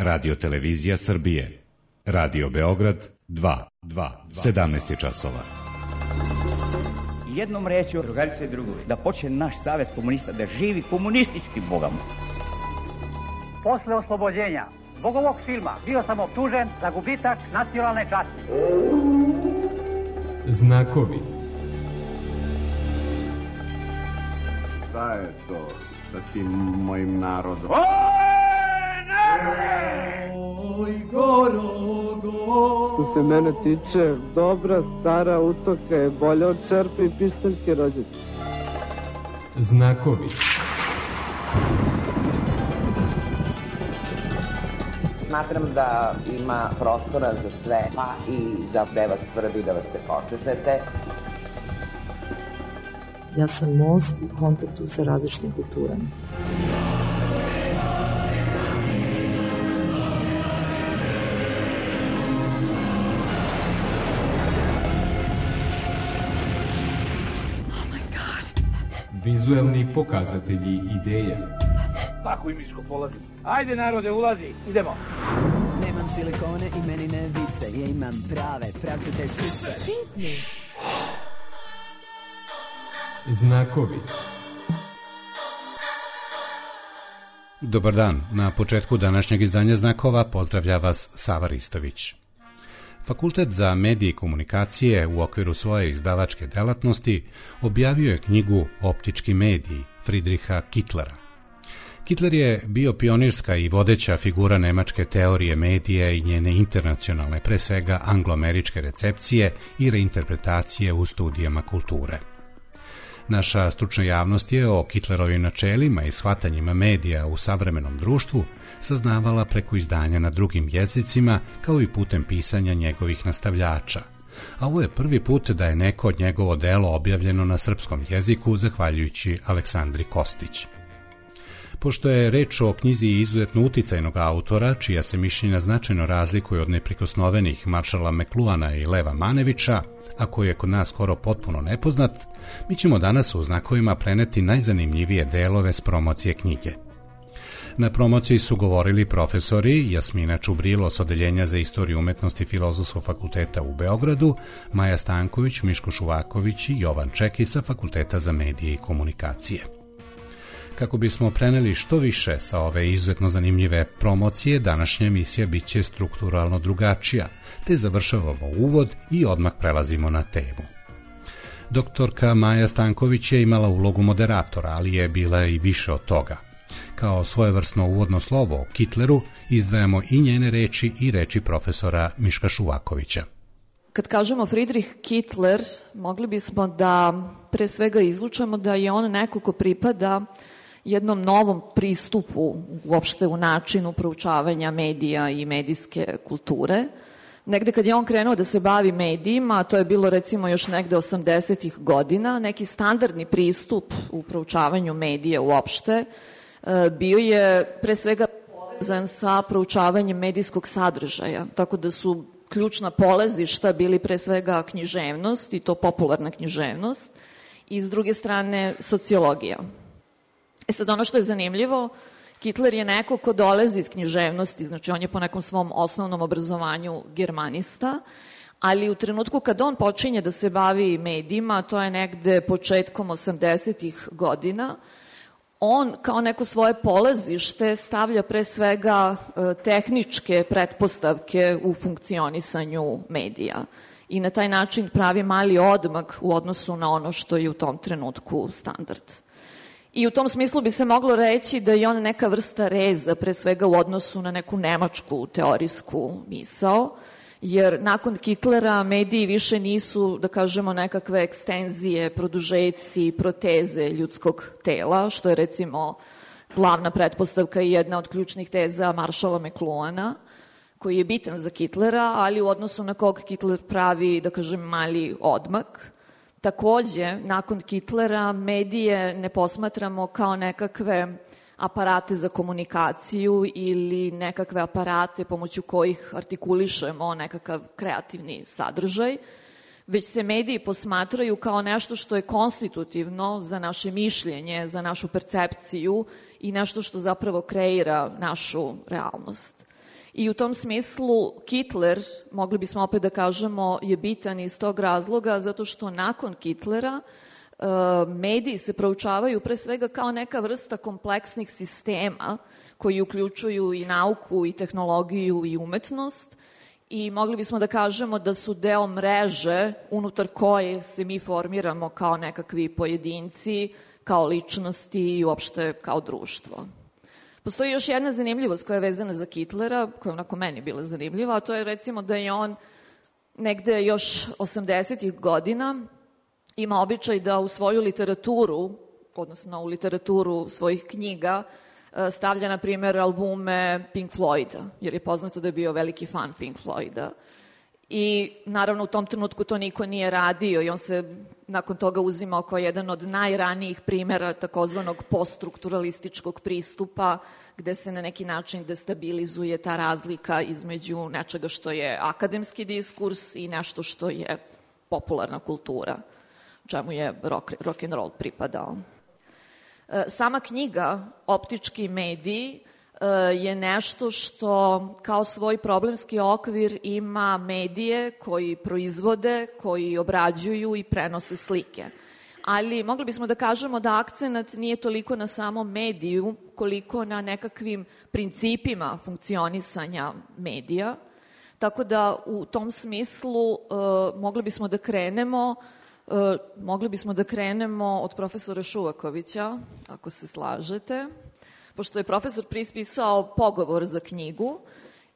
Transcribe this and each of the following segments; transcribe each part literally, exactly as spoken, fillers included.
Radio Televizija Srbije. Radio Beograd dva, dva, sedamnaest je časova. Jednom rečju, drugarice i drugovi, da počne naš savez komunista da živi komunističkim bogama. Posle oslobođenja zbog ovog filma bio sam optužen za gubitak nacionalne časti. Znakovi. Šta je to sa tim mojim narodom? Oj, narode! Oj, gorogo! Što se mene tiče, dobra stara utoka je bolja od čerpe i pištaljke rođete. Znakovi. Smatram da ima prostora za sve, pa i za gde vas svrbi da vas se počešete. Ja sam most u kontaktu sa različitim kulturama. Vizuelni pokazatelji ideja. Tako i miško polazi. Ajde narode, ulazi, idemo. Nemam silikone i meni ne vise, ja imam prave, pravcete sise. Znakovi. Dobar dan, na početku današnjeg izdanja Znakova pozdravlja vas Sava Ristović. Fakultet za medije i komunikacije u okviru svoje izdavačke delatnosti objavio je knjigu Optički mediji Friedricha Kittlera. Kittler je bio pionirska i vodeća figura nemačke teorije medija i njene internacionalne, pre svega angloameričke recepcije i reinterpretacije u studijama kulture. Naša stručna javnost je o Kittlerovim načelima i shvatanjima medija u savremenom društvu saznavala preko izdanja na drugim jezicima, kao i putem pisanja njegovih nastavljača. A ovo je prvi put da je neko od njegovo delo objavljeno na srpskom jeziku, zahvaljujući Aleksandri Kostić. Pošto je reč o knjizi izuzetno uticajnog autora, čija se mišljenja značajno razlikuje od neprikosnovenih Maršala McLuhana i Leva Manevića, a koji je kod nas skoro potpuno nepoznat, mi ćemo danas u Znakovima preneti najzanimljivije delove s promocije knjige. Na promociji su govorili profesori Jasmina Čubrilo s Odeljenja za istoriju umetnosti Filozofskog fakulteta u Beogradu, Maja Stanković, Miško Šuvaković i Jovan Čeki sa Fakulteta za medije i komunikacije. Kako bismo preneli što više sa ove izuzetno zanimljive promocije, današnja emisija bit će strukturalno drugačija, te završavamo uvod i odmah prelazimo na temu. Doktorka Maja Stanković je imala ulogu moderatora, ali je bila i više od toga. Kao svojevrsno uvodno slovo o Kittleru izdvajamo i njene reči i reči profesora Miška Šuvakovića. Kad kažemo Friedrich Kittler, mogli bismo da pre svega izvučemo da je on neko ko pripada jednom novom pristupu uopšte u načinu proučavanja medija i medijske kulture. Negde kad je on krenuo da se bavi medijima, to je bilo recimo još negde osamdesetih godina, neki standardni pristup u proučavanju medija uopšte bio je pre svega povezan sa proučavanjem medijskog sadržaja, tako da su ključna polazišta bili pre svega književnost, i to popularna književnost, i s druge strane sociologija. E sad, ono što je zanimljivo, Kittler je neko ko dolazi iz književnosti, znači on je po nekom svom osnovnom obrazovanju germanista, ali u trenutku kad on počinje da se bavi medijima, to je negde početkom osamdesetih godina, on kao neko svoje polazište stavlja pre svega tehničke pretpostavke u funkcionisanju medija i na taj način pravi mali odmak u odnosu na ono što je u tom trenutku standard. I u tom smislu bi se moglo reći da je on neka vrsta reza, pre svega u odnosu na neku nemačku teorijsku misao, jer nakon Kittlera mediji više nisu, da kažemo, nekakve ekstenzije, produžeci, proteze ljudskog tela, što je recimo glavna pretpostavka i jedna od ključnih teza Maršala McLuhana, koji je bitan za Kittlera, ali u odnosu na kog Kittler pravi, da kažem, mali odmak. Takođe, nakon Kittlera medije ne posmatramo kao nekakve aparate za komunikaciju ili nekakve aparate pomoću kojih artikulišemo nekakav kreativni sadržaj, već se mediji posmatraju kao nešto što je konstitutivno za naše mišljenje, za našu percepciju i nešto što zapravo kreira našu realnost. I u tom smislu Hitler, mogli bismo opet da kažemo, je bitan iz tog razloga zato što nakon Hitlera mediji se proučavaju pre svega kao neka vrsta kompleksnih sistema koji uključuju i nauku, i tehnologiju, i umetnost i mogli bismo da kažemo da su deo mreže unutar koje se mi formiramo kao nekakvi pojedinci, kao ličnosti i uopšte kao društvo. Postoji još jedna zanimljivost koja je vezana za Hitlera, koja je onako meni bila zanimljiva, a to je recimo da je on negde još osamdesetih godina ima običaj da u svoju literaturu, odnosno u literaturu svojih knjiga, stavlja, na primjer, albume Pink Floyda, jer je poznato da je bio veliki fan Pink Floyda. I naravno u tom trenutku to niko nije radio i on se nakon toga uzimao kao jedan od najranijih primjera takozvanog poststrukturalističkog pristupa gde se na neki način destabilizuje ta razlika između nečega što je akademski diskurs i nešto što je popularna kultura, čemu je rock, rock and roll pripadao. Sama knjiga Optički mediji je nešto što kao svoj problemski okvir ima medije koji proizvode, koji obrađuju i prenose slike. Ali mogli bismo da kažemo da akcenat nije toliko na samom mediju, koliko na nekakvim principima funkcionisanja medija. Tako da u tom smislu mogli bismo da krenemo mogli bismo da krenemo od profesora Šuvakovića, ako se slažete, pošto je profesor pisao pogovor za knjigu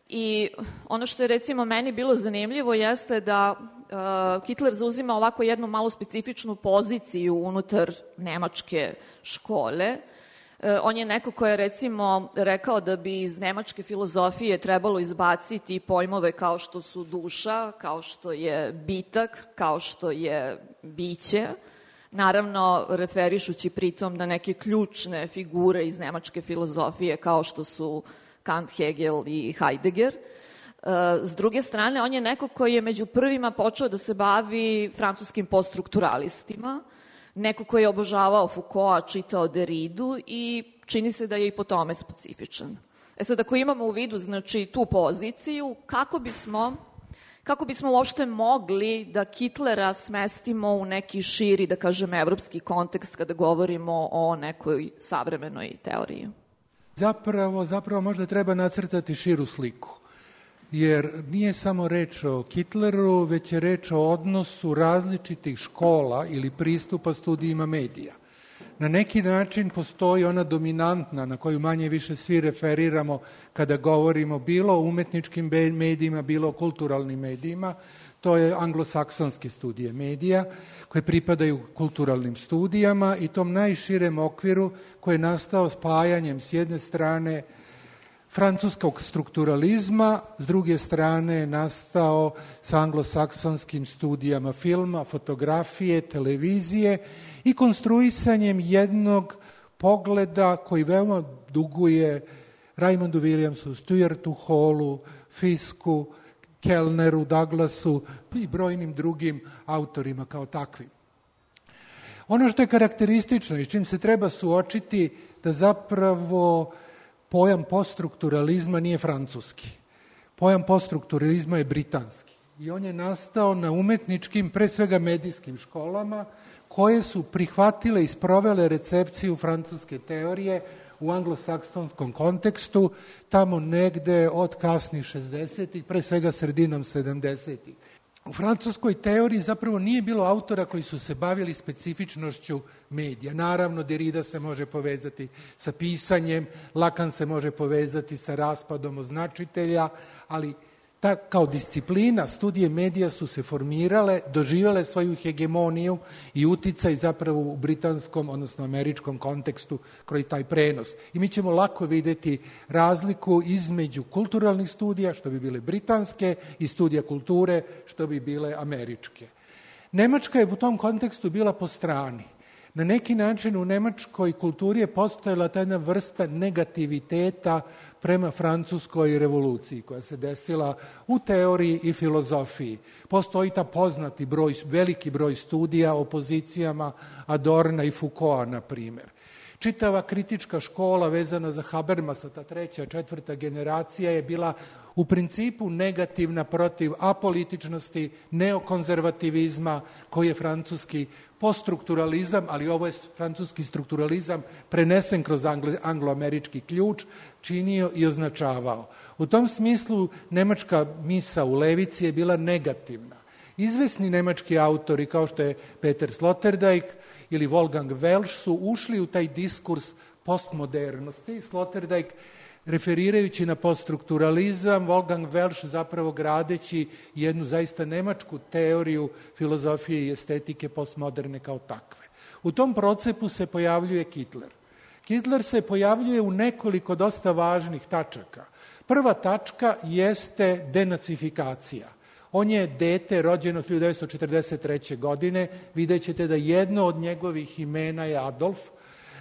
i ono što je recimo meni bilo zanimljivo jeste da uh, Hitler zauzima ovako jednu malo specifičnu poziciju unutar nemačke škole. Uh, on je neko ko je recimo rekao da bi iz nemačke filozofije trebalo izbaciti pojmove kao što su duša, kao što je bitak, kao što je biće, naravno referišući pritom na neke ključne figure iz nemačke filozofije kao što su Kant, Hegel i Heidegger. S druge strane, on je neko koji je među prvima počeo da se bavi francuskim poststrukturalistima, neko koji je obožavao Foucaulta, čitao Derridu i čini se da je i po tome specifičan. E sad, ako imamo u vidu znači, tu poziciju, kako bismo... Kako bismo uopšte mogli da Hitlera smestimo u neki širi, da kažem, evropski kontekst kada govorimo o nekoj savremenoj teoriji? Zapravo, zapravo možda treba nacrtati širu sliku, jer nije samo reč o Hitleru, već je reč o odnosu različitih škola ili pristupa studijima medija. Na neki način postoji ona dominantna na koju manje više svi referiramo kada govorimo bilo o umetničkim medijima, bilo o kulturalnim medijima. To je anglosaksonske studije medija koje pripadaju kulturalnim studijama i tom najširem okviru koji je nastao spajanjem s jedne strane francuskog strukturalizma, s druge strane je nastao sa anglosaksonskim studijama filma, fotografije, televizije i konstruisanjem jednog pogleda koji veoma duguje Raymondu Williamsu, Stuartu Hallu, Fisku, Kellneru, Douglasu i brojnim drugim autorima kao takvim. Ono što je karakteristično i s čim se treba suočiti da zapravo pojam poststrukturalizma nije francuski. Pojam poststrukturalizma je britanski i on je nastao na umetničkim, pre svega medijskim školama, koje su prihvatile i sprovele recepciju francuske teorije u anglosaksonskom kontekstu, tamo negde od kasnih šezdesetih, pre svega sredinom sedamdesetih. U francuskoj teoriji zapravo nije bilo autora koji su se bavili specifičnošću medija. Naravno, Derrida se može povezati sa pisanjem, Lacan se može povezati sa raspadom označitelja, ali ta, kao disciplina, studije medija su se formirale, doživjele svoju hegemoniju i uticaj zapravo u britanskom, odnosno američkom kontekstu kroz taj prenos. I mi ćemo lako vidjeti razliku između kulturalnih studija, što bi bile britanske, i studija kulture, što bi bile američke. Nemačka je u tom kontekstu bila po strani. Na neki način u nemačkoj kulturi je postojala ta jedna vrsta negativiteta prema francuskoj revoluciji koja se desila u teoriji i filozofiji. Postoji ta poznati broj, veliki broj studija o pozicijama Adorna i Foucaulta, na primjer. Čitava kritička škola vezana za Habermasa, ta treća, četvrta generacija je bila u principu negativna protiv apolitičnosti, neokonzervativizma koji je francuski poststrukturalizam, ali ovo je francuski strukturalizam prenesen kroz anglo-američki ključ, činio i označavao. U tom smislu nemačka misa u levici je bila negativna. Izvesni nemački autori kao što je Peter Sloterdijk ili Wolfgang Welsch su ušli u taj diskurs postmodernosti. Sloterdijk referirajući na poststrukturalizam, Wolfgang Welsch zapravo gradeći jednu zaista nemačku teoriju filozofije i estetike postmoderne kao takve. U tom procepu se pojavljuje Hitler. Hitler se pojavljuje u nekoliko dosta važnih tačaka. Prva tačka jeste denacifikacija. On je dete rođeno hiljadu devetsto četrdeset treće. godine. Vidjet ćete da jedno od njegovih imena je Adolf.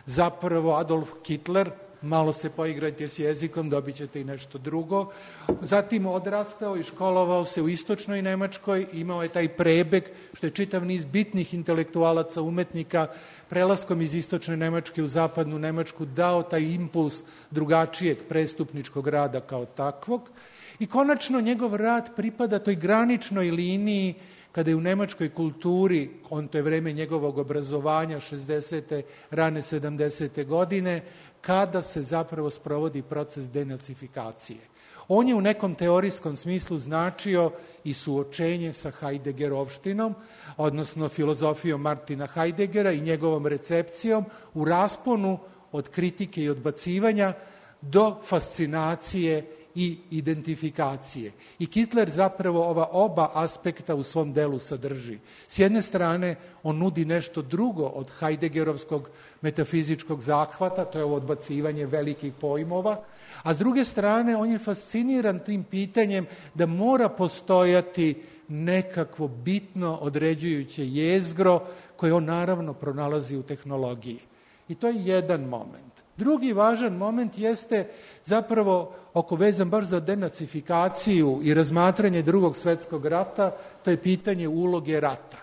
Zapravo Adolf Hitler, malo se poigrajte s jezikom, dobit ćete i nešto drugo. Zatim odrastao i školovao se u istočnoj Nemačkoj, imao je taj prebeg, što je čitav niz bitnih intelektualaca, umetnika, prelaskom iz istočne Nemačke u zapadnu Nemačku dao taj impuls drugačijeg prestupničkog rada kao takvog. I konačno njegov rad pripada toj graničnoj liniji kada je u nemačkoj kulturi, on to je vreme njegovog obrazovanja, šezdesete rane sedamdesete godine, kada se zapravo sprovodi proces denacifikacije. On je u nekom teorijskom smislu značio i suočenje sa Heideggerovštinom, odnosno filozofijom Martina Heideggera i njegovom recepcijom u rasponu od kritike i odbacivanja do fascinacije i identifikacije. I Hitler zapravo ova oba aspekta u svom delu sadrži. S jedne strane, on nudi nešto drugo od Heideggerovskog metafizičkog zahvata, to je ovo odbacivanje velikih pojmova, a s druge strane, on je fasciniran tim pitanjem da mora postojati nekakvo bitno određujuće jezgro koje on naravno pronalazi u tehnologiji. I to je jedan moment. Drugi važan moment jeste zapravo oko vezan baš za denacifikaciju i razmatranje drugog svjetskog rata, to je pitanje uloge rata.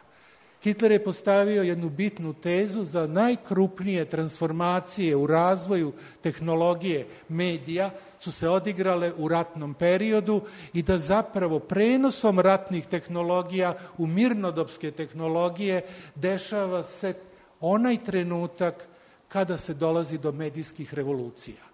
Hitler je postavio jednu bitnu tezu za najkrupnije transformacije u razvoju tehnologije medija su se odigrale u ratnom periodu i da zapravo prenosom ratnih tehnologija u mirnodopske tehnologije dešava se onaj trenutak kada se dolazi do medijskih revolucija.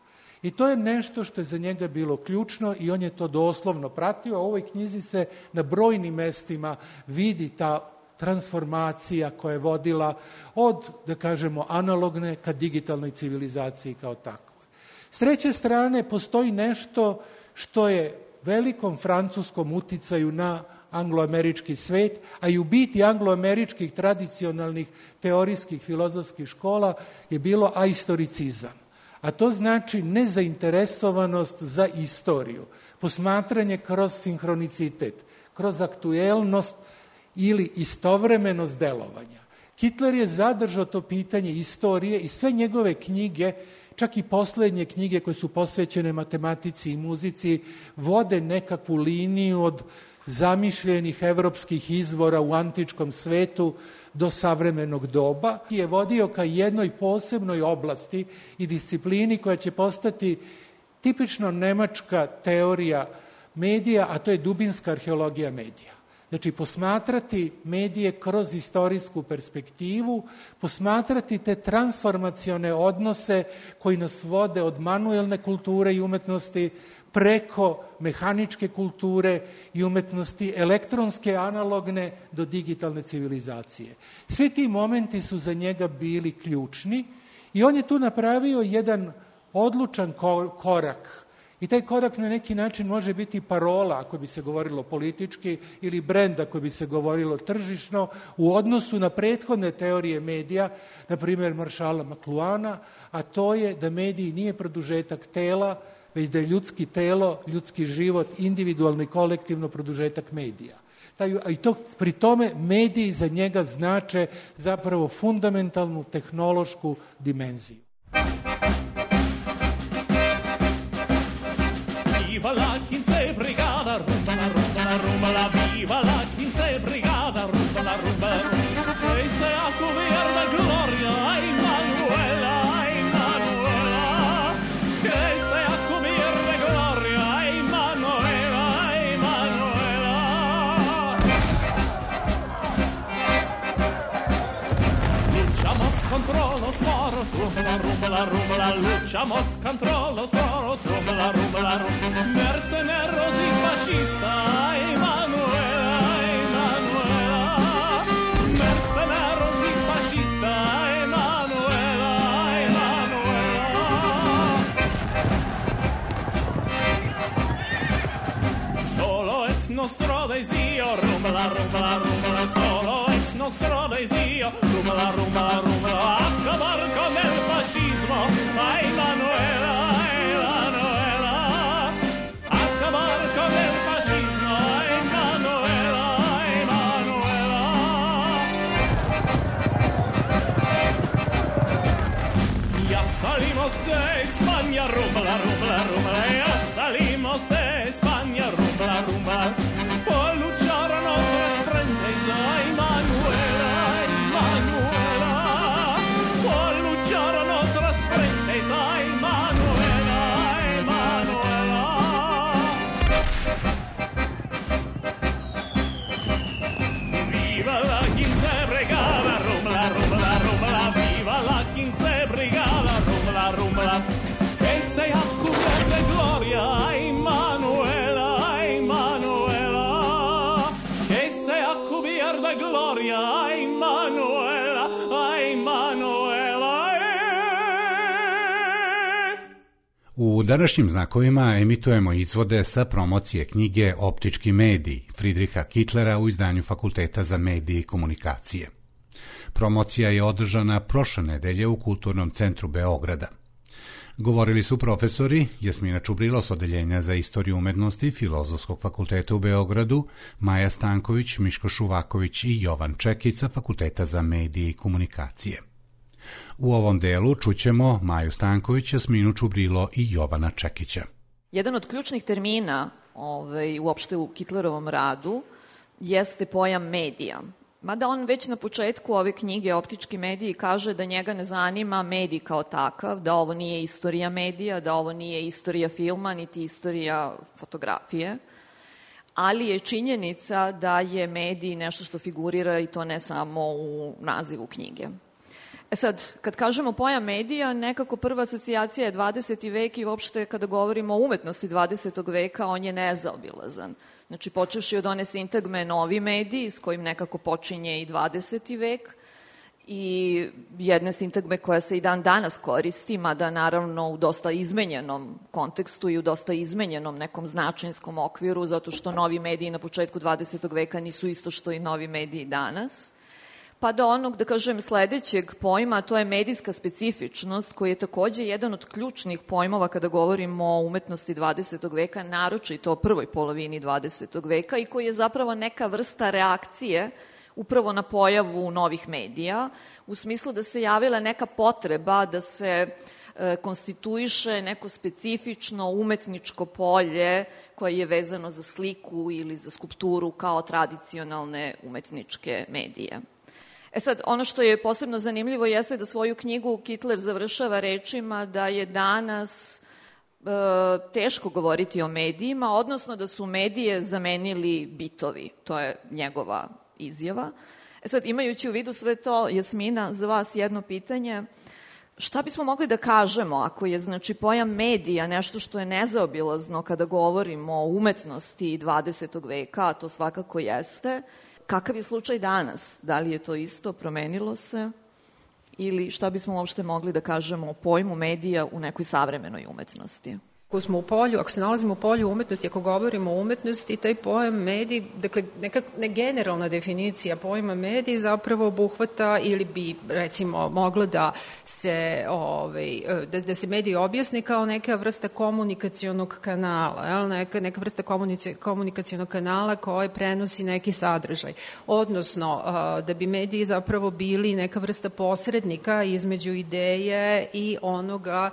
I to je nešto što je za njega bilo ključno i on je to doslovno pratio, a u ovoj knjizi se na brojnim mestima vidi ta transformacija koja je vodila od, da kažemo, analogne ka digitalnoj civilizaciji kao takvoj. S treće strane, postoji nešto što je velikom francuskom uticaju na angloamerički svet, a i u biti angloameričkih tradicionalnih teorijskih filozofskih škola je bilo ahistoricizam. A to znači nezainteresovanost za istoriju, posmatranje kroz sinhronicitet, kroz aktuelnost ili istovremenost delovanja. Hitler je zadržao to pitanje istorije i sve njegove knjige, čak i poslednje knjige koje su posvećene matematici i muzici, vode nekakvu liniju od zamišljenih evropskih izvora u antičkom svetu do savremenog doba i je vodio ka jednoj posebnoj oblasti i disciplini koja će postati tipično nemačka teorija medija, a to je dubinska arheologija medija. Znači, posmatrati medije kroz istorijsku perspektivu, posmatrati te transformacione odnose koji nas vode od manuelne kulture i umetnosti preko mehaničke kulture i umetnosti, elektronske, analogne do digitalne civilizacije. Svi ti momenti su za njega bili ključni i on je tu napravio jedan odlučan korak. I taj korak na neki način može biti parola, ako bi se govorilo politički, ili brend, ako bi se govorilo tržišno, u odnosu na prethodne teorije medija, na primjer Maršala Makluana, a to je da mediji nije produžetak tela, već da je ljudski telo, ljudski život, individualno i kolektivno produžetak medija. I to, pri tome mediji za njega znače zapravo fundamentalnu tehnološku dimenziju. Viva la quince brigada, rumba la rumba la rumba la viva la quince brigada, rumba la rumba que sea cubierta gloria, ay Manuela, ay Manuela, que sea cubierta gloria, ay Manuela. luciamo scontrollo, solo, rumba, rumba, rumba. Mercenario si fascista, Emanuela, Emanuela. Mercenario si fascista, Emanuela, Emanuela. Solo è nostro desio, rumba, rumba, rumba. Solo è nostro desio, rumba, rumba, rumba. Acabar con el fascismo, Emanuela, Emanuela. Acabar con el fascismo, Emanuela, Emanuela. Ya salimos de España, rumba, rumba, rumba. Ya salimos de España, rumba, rumba. Por luchar a nuestras frentes, Emanuela, Emanuela. Por luchar a nuestras frentes, Emanuela, Emanuela. Viva la quince brigada, rumba, rumba, rumba. Viva la quince brigada, rumba, rumba. Que sea cubierta de gloria, Emanuela, Emanuela. Que sea cubierta de gloria, Emanuela, Emanuela. U današnjim znakovima emitujemo izvode sa promocije knjige Optički mediji Friedricha Kittlera u izdanju Fakulteta za medije i komunikacije. Promocija je održana prošle nedelje u Kulturnom centru Beograda. Govorili su profesori Jasmina Čubrilo s Odeljenja za istoriju umetnosti Filozofskog fakulteta u Beogradu, Maja Stanković, Miško Šuvaković i Jovan Čekić sa Fakulteta za medije i komunikacije. U ovom delu čućemo Maju Stanković, Jasminu Čubrilo i Jovana Čekića. Jedan od ključnih termina ovaj, uopšte u Kittlerovom radu jeste pojam medija. Mada on već na početku ove knjige Optički mediji kaže da njega ne zanima medij kao takav, da ovo nije istorija medija, da ovo nije istorija filma, niti istorija fotografije, ali je činjenica da je medij nešto što figurira i to ne samo u nazivu knjige. E sad, kad kažemo pojam medija, nekako prva asocijacija je dvadeseti vek i uopšte kada govorimo o umetnosti dvadesetog veka, on je nezaobilazan. Znači, počevši od one sintagme novi mediji, s kojim nekako počinje i dvadeseti vek, i jedne sintagme koja se i dan danas koristi, mada naravno u dosta izmenjenom kontekstu i u dosta izmenjenom nekom značinskom okviru, zato što novi mediji na početku dvadesetog veka nisu isto što i novi mediji danas. Pa do onog, da kažem, sledećeg pojma, to je medijska specifičnost, koji je takođe jedan od ključnih pojmova kada govorimo o umetnosti dvadesetog veka, naročito o prvoj polovini dvadesetog veka i koji je zapravo neka vrsta reakcije upravo na pojavu novih medija, u smislu da se javila neka potreba da se e, konstituiše neko specifično umetničko polje koje je vezano za sliku ili za skulpturu kao tradicionalne umetničke medije. E sad, ono što je posebno zanimljivo jeste da svoju knjigu Kittler završava rečima da je danas e, teško govoriti o medijima, odnosno da su medije zamenili bitovi. To je njegova izjava. E sad, imajući u vidu sve to, Jasmina, za vas jedno pitanje. Šta bismo mogli da kažemo ako je, znači, pojam medija nešto što je nezaobilazno kada govorimo o umetnosti dvadesetog veka, a to svakako jeste, kakav je slučaj danas? Da li je to isto, promenilo se? Ili šta bismo uopšte mogli da kažemo o pojmu medija u nekoj savremenoj umetnosti? Ako smo u polju, ako se nalazimo u polju umetnosti, ako govorimo o umetnosti, taj pojam medij, dakle, neka ne generalna definicija pojma medij zapravo obuhvata ili bi, recimo, mogla da se, ovaj, da, da se medij objasni kao neka vrsta komunikacionog kanala, jel? Neka, neka vrsta komunikacionog kanala koji prenosi neki sadržaj. Odnosno, da bi mediji zapravo bili neka vrsta posrednika između ideje i onoga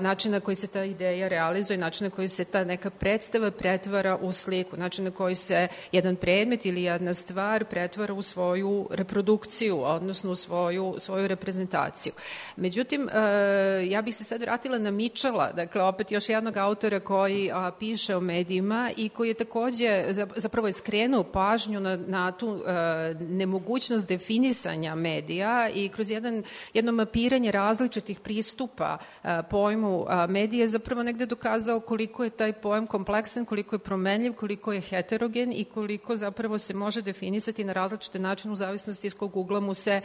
načina koji se ta ideja realizuje realizuje, način na koji se ta neka predstava pretvara u sliku, način na koji se jedan predmet ili jedna stvar pretvara u svoju reprodukciju, odnosno u svoju, svoju reprezentaciju. Međutim, ja bih se sad vratila na Mitchella, dakle opet još jednog autora koji a, piše o medijima i koji je takođe zapravo je skrenuo pažnju na, na tu a, nemogućnost definisanja medija i kroz jedan, jedno mapiranje različitih pristupa a, pojmu a, medije zapravo negde dokazao koliko je taj pojam kompleksan, koliko je promenljiv, koliko je heterogen i koliko zapravo se može definisati na različite načine u zavisnosti iz kog ugla mu se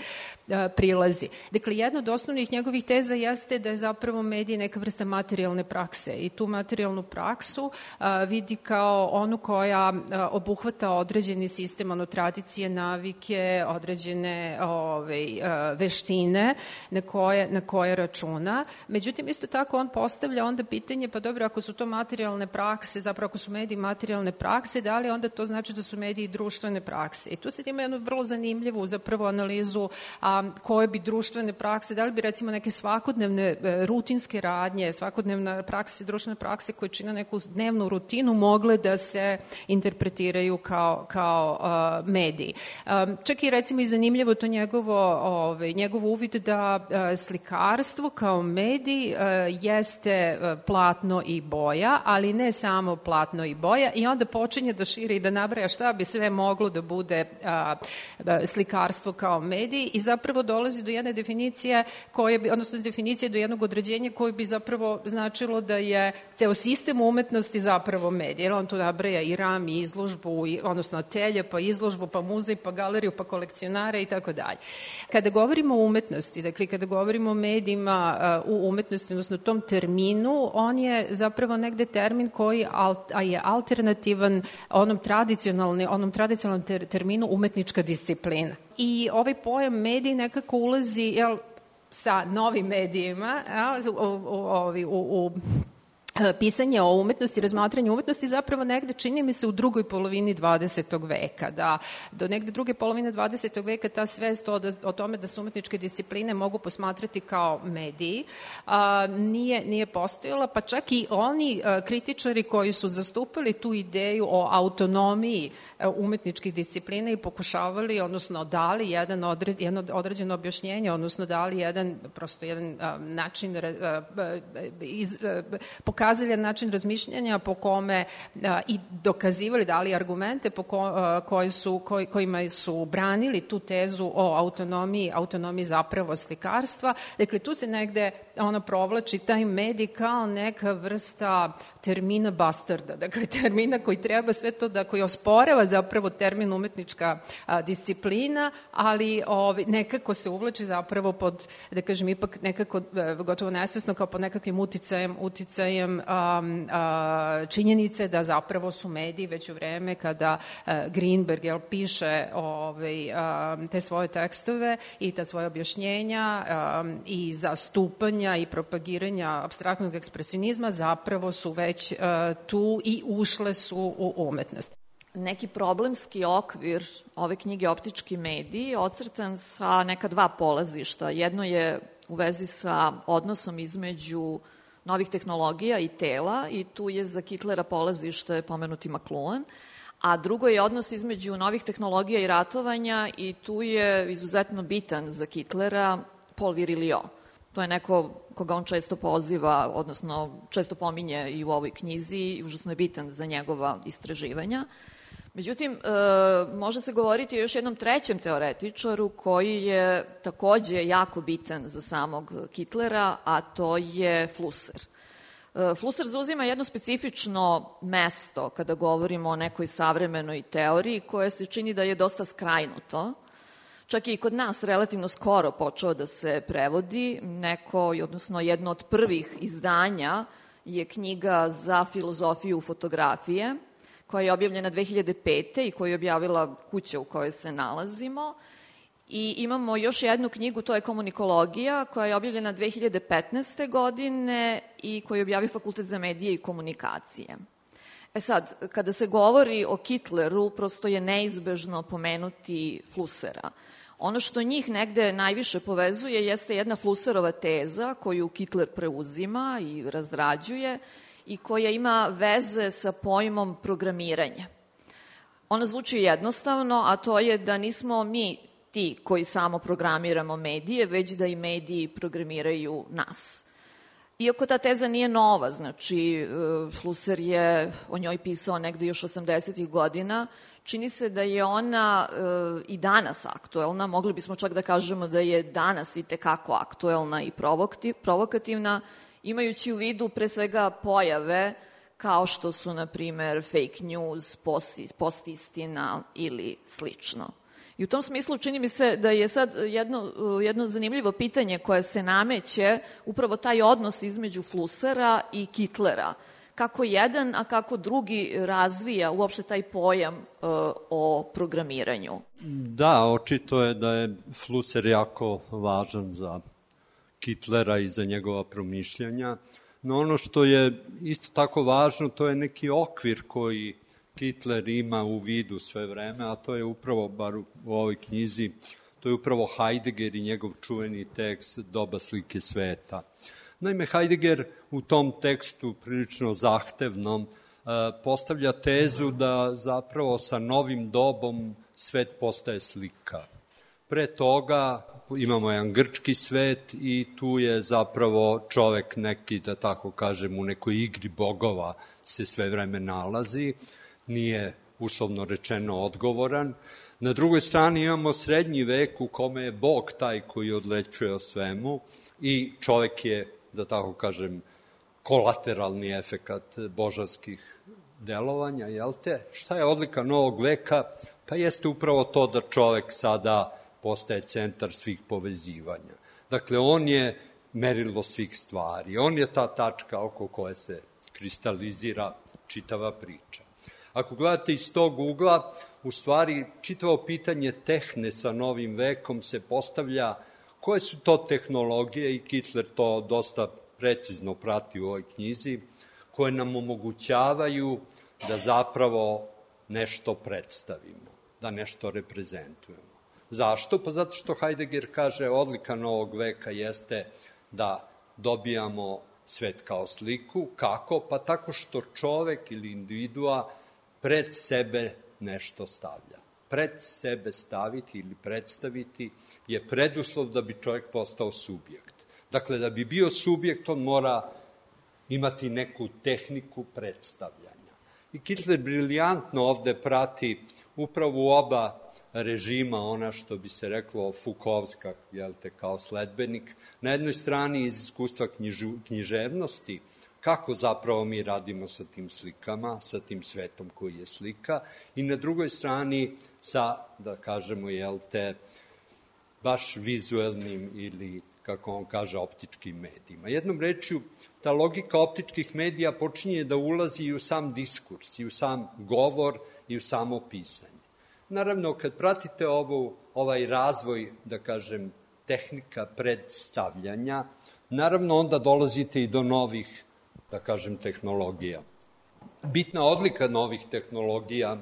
a, prilazi. Dakle, jedna od osnovnih njegovih teza jeste da je zapravo medij neka vrsta materijalne prakse i tu materijalnu praksu a, vidi kao onu koja a, obuhvata određeni sistem, ono, tradicije, navike, određene ove, a, veštine na koje, na koje računa. Međutim, isto tako on postavlja onda pitanje, pa dobro, ako su to materijalne prakse, zapravo ako su mediji materijalne prakse, da li onda to znači da su mediji društvene prakse? I tu sad ima jednu vrlo zanimljivu zapravo analizu a, koje bi društvene prakse, da li bi recimo neke svakodnevne e, rutinske radnje, svakodnevna prakse, društvene prakse koje čine neku dnevnu rutinu mogle da se interpretiraju kao, kao a, mediji. A, čak i recimo i zanimljivo to njegovo, ovaj, njegov uvid da a, slikarstvo kao medij a, jeste a, platno i boja, ali ne samo platno i boja i onda počinje da širi i da nabraja šta bi sve moglo da bude a, a, slikarstvo kao medij i zapravo dolazi do jedne definicije koje bi, odnosno definicije do jednog određenja koje bi zapravo značilo da je ceo sistem umetnosti zapravo medij. Jer on tu nabraja i ram, i izložbu, i, odnosno atelje, pa izložbu, pa muzej, pa galeriju, pa kolekcionare i tako dalje. Kada govorimo o umetnosti, dakle kada govorimo o medijima uh, u umetnosti, odnosno tom terminu, on je zapravo negde termin koji al, a je alternativan onom tradicionalni, onom tradicionalnom ter, terminu umetnička disciplina. I ovaj pojam medij nekako ulazi, jel, sa novim medijima, u, u, u, u pisanje o umetnosti, razmatranje umetnosti zapravo negde čini mi se u drugoj polovini dvadesetog veka, da do negde druge polovine dvadesetog veka ta svest o, o tome da se umetničke discipline mogu posmatrati kao mediji a, nije, nije postojala, pa čak i oni a, kritičari koji su zastupali tu ideju o autonomiji a, umetničkih disciplina i pokušavali, odnosno dali jedan odred, jedno određeno objašnjenje, odnosno dali jedan, prosto jedan a, način a, a, iz, a, pokazali način razmišljanja po kome a, i dokazivali, dali argumente po ko, a, koji su, koj, kojima su branili tu tezu o autonomiji, autonomiji zapravo slikarstva. Dakle, tu se negde ona provlači taj medij kao neka vrsta termina bastarda, dakle termina koji treba sve to da, koji osporava zapravo termin umetnička a, disciplina, ali ovi, nekako se uvlači zapravo pod, da kažem, ipak nekako a, gotovo nesvesno kao pod nekakvim uticajem, uticajem a, a, činjenice da zapravo su mediji već u vreme kada a, Greenberg jel, piše ovaj, a, te svoje tekstove i ta svoje objašnjenja a, i zastupanja i propagiranja apstraktnog ekspresionizma zapravo su već već uh, tu i ušle su u umetnost. Neki problemski okvir ove knjige Optički mediji ocrtan sa neka dva polazišta. Jedno je u vezi sa odnosom između novih tehnologija i tela i tu je za Kitlera polazište pomenuti McLuhan, a drugo je odnos između novih tehnologija i ratovanja i tu je izuzetno bitan za Kitlera Paul Virilio. To je neko koga on često poziva, odnosno često pominje i u ovoj knjizi i užasno je bitan za njegova istraživanja. Međutim, e, može se govoriti o još jednom trećem teoretičaru koji je takođe jako bitan za samog Kitlera, a to je Flusser. E, Flusser zauzima jedno specifično mesto kada govorimo o nekoj savremenoj teoriji koje se čini da je dosta skrajnuto. Čak i kod nas relativno skoro počeo da se prevodi. Neko, odnosno jedno od prvih izdanja je knjiga za filozofiju fotografije, koja je objavljena dve hiljade pete i koju je objavila kuća u kojoj se nalazimo. I imamo još jednu knjigu, to je Komunikologija, koja je objavljena dve hiljade petnaeste. godine i koju je objavio Fakultet za medije i komunikacije. E sad, kada se govori o Kitleru, prosto je neizbežno pomenuti Flussera. Ono što njih negde najviše povezuje jeste jedna Flusserova teza koju Kitler preuzima i razrađuje i koja ima veze sa pojmom programiranja. Ona zvuči jednostavno, a to je da nismo mi ti koji samo programiramo medije, već da i mediji programiraju nas. Iako ta teza nije nova, znači Flusser je o njoj pisao negde još osamdesetih godina, čini se da je ona e, i danas aktuelna, mogli bismo čak da kažemo da je danas i tekako aktuelna i provokativna, imajući u vidu pre svega pojave kao što su, na primer, fake news, postistina ili slično. I u tom smislu čini mi se da je sad jedno, jedno zanimljivo pitanje koje se nameće upravo taj odnos između Flussera i Kittlera. Kako jedan, a kako drugi razvija uopšte taj pojam uh, o programiranju? Da, očito je da je Flusser jako važan za Kittlera i za njegova promišljanja, no ono što je isto tako važno, to je neki okvir koji Kittler ima u vidu sve vreme, a to je upravo, bar u ovoj knjizi, to je upravo Heidegger i njegov čuveni tekst Doba slike sveta. Naime, Heidegger u tom tekstu, prilično zahtevnom, postavlja tezu da zapravo sa novim dobom svet postaje slika. Pre toga imamo jedan grčki svet i tu je zapravo čovek neki, da tako kažem, u nekoj igri bogova se sve vreme nalazi, nije uslovno rečeno odgovoran. Na drugoj strani imamo srednji vek u kome je Bog taj koji odlećuje o svemu i čovek je, da tako kažem, kolateralni efekat božanskih delovanja, jel te? Šta je odlika novog veka? Pa jeste upravo to da čovek sada postaje centar svih povezivanja. Dakle, on je merilo svih stvari, on je ta tačka oko koje se kristalizira čitava priča. Ako gledate iz tog ugla, u stvari čitavo pitanje tehne sa novim vekom se postavlja koje su to tehnologije, i Kittler to dosta precizno prati u ovoj knjizi, koje nam omogućavaju da zapravo nešto predstavimo, da nešto reprezentujemo. Zašto? Pa zato što Heidegger kaže odlika novog veka jeste da dobijamo svet kao sliku. Kako? Pa tako što čovek ili individua pred sebe nešto stavlja. Pred sebe staviti ili predstaviti je preduslov da bi čovjek postao subjekt. Dakle, da bi bio subjekt, on mora imati neku tehniku predstavljanja. I Kittler briljantno ovde prati upravo u oba režima, ona što bi se reklo Foucaultska, jel te, kao sledbenik. Na jednoj strani iz iskustva knjižu, književnosti, kako zapravo mi radimo sa tim slikama, sa tim svetom koji je slika, i na drugoj strani sa, da kažemo, jel te, baš vizuelnim ili, kako on kaže, optičkim medijima. Jednom rečju, ta logika optičkih medija počinje da ulazi i u sam diskurs, i u sam govor, i u samo pisanje. Naravno, kad pratite ovo, ovaj razvoj, da kažem, tehnika predstavljanja, naravno onda dolazite i do novih, da kažem, tehnologija. Bitna odlika novih tehnologija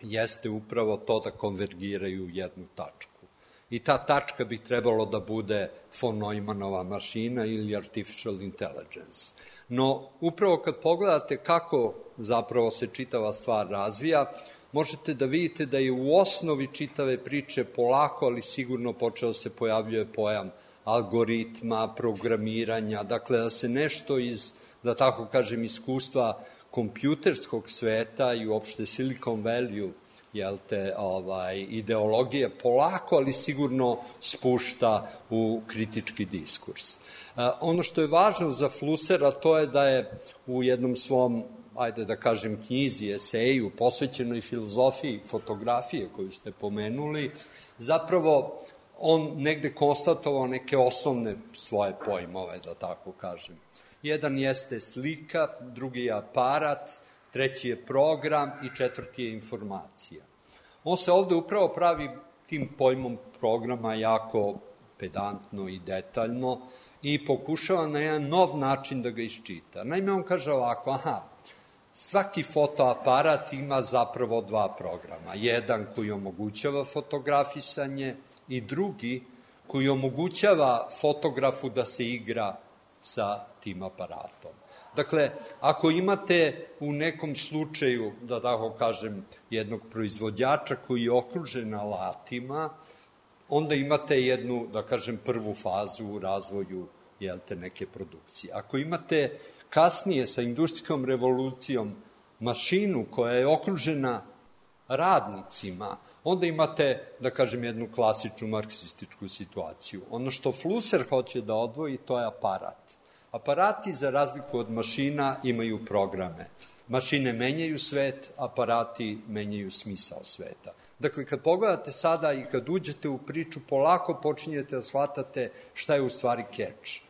jeste upravo to da konvergiraju u jednu tačku. I ta tačka bi trebalo da bude von Neumannova mašina ili artificial intelligence. No, upravo kad pogledate kako zapravo se čitava stvar razvija, možete da vidite da je u osnovi čitave priče polako, ali sigurno počeo se pojavljuje pojam algoritma, programiranja, dakle da se nešto iz, da tako kažem, iskustva kompjuterskog sveta i uopšte Silicon Valley, jel te, ovaj, ideologije polako, ali sigurno spušta u kritički diskurs. Uh, ono što je važno za Flussera, to je da je u jednom svom, ajde da kažem, knjizi, eseju, posvećenoj filozofiji fotografije koju ste pomenuli, zapravo on negde konstatovao neke osnovne svoje pojmove, da tako kažem. Jedan jeste slika, drugi je aparat, treći je program i četvrti je informacija. On se ovde upravo pravi tim pojmom programa jako pedantno i detaljno i pokušava na jedan nov način da ga iščita. Naime, on kaže ovako, aha, svaki fotoaparat ima zapravo dva programa. Jedan koji omogućava fotografisanje i drugi koji omogućava fotografu da se igra sa tim aparatom. Dakle, ako imate u nekom slučaju, da tako kažem, jednog proizvođača koji je okružen alatima, onda imate jednu, da kažem, prvu fazu u razvoju, jel te, neke produkcije. Ako imate kasnije sa industrijskom revolucijom mašinu koja je okružena radnicima, onda imate, da kažem, jednu klasičnu marksističku situaciju. Ono što Flusser hoće da odvoji, to je aparat. Aparati, za razliku od mašina, imaju programe. Mašine menjaju svet, aparati menjaju smisao sveta. Dakle, kad pogledate sada i kad uđete u priču, polako počinjete da shvatate šta je u stvari keč.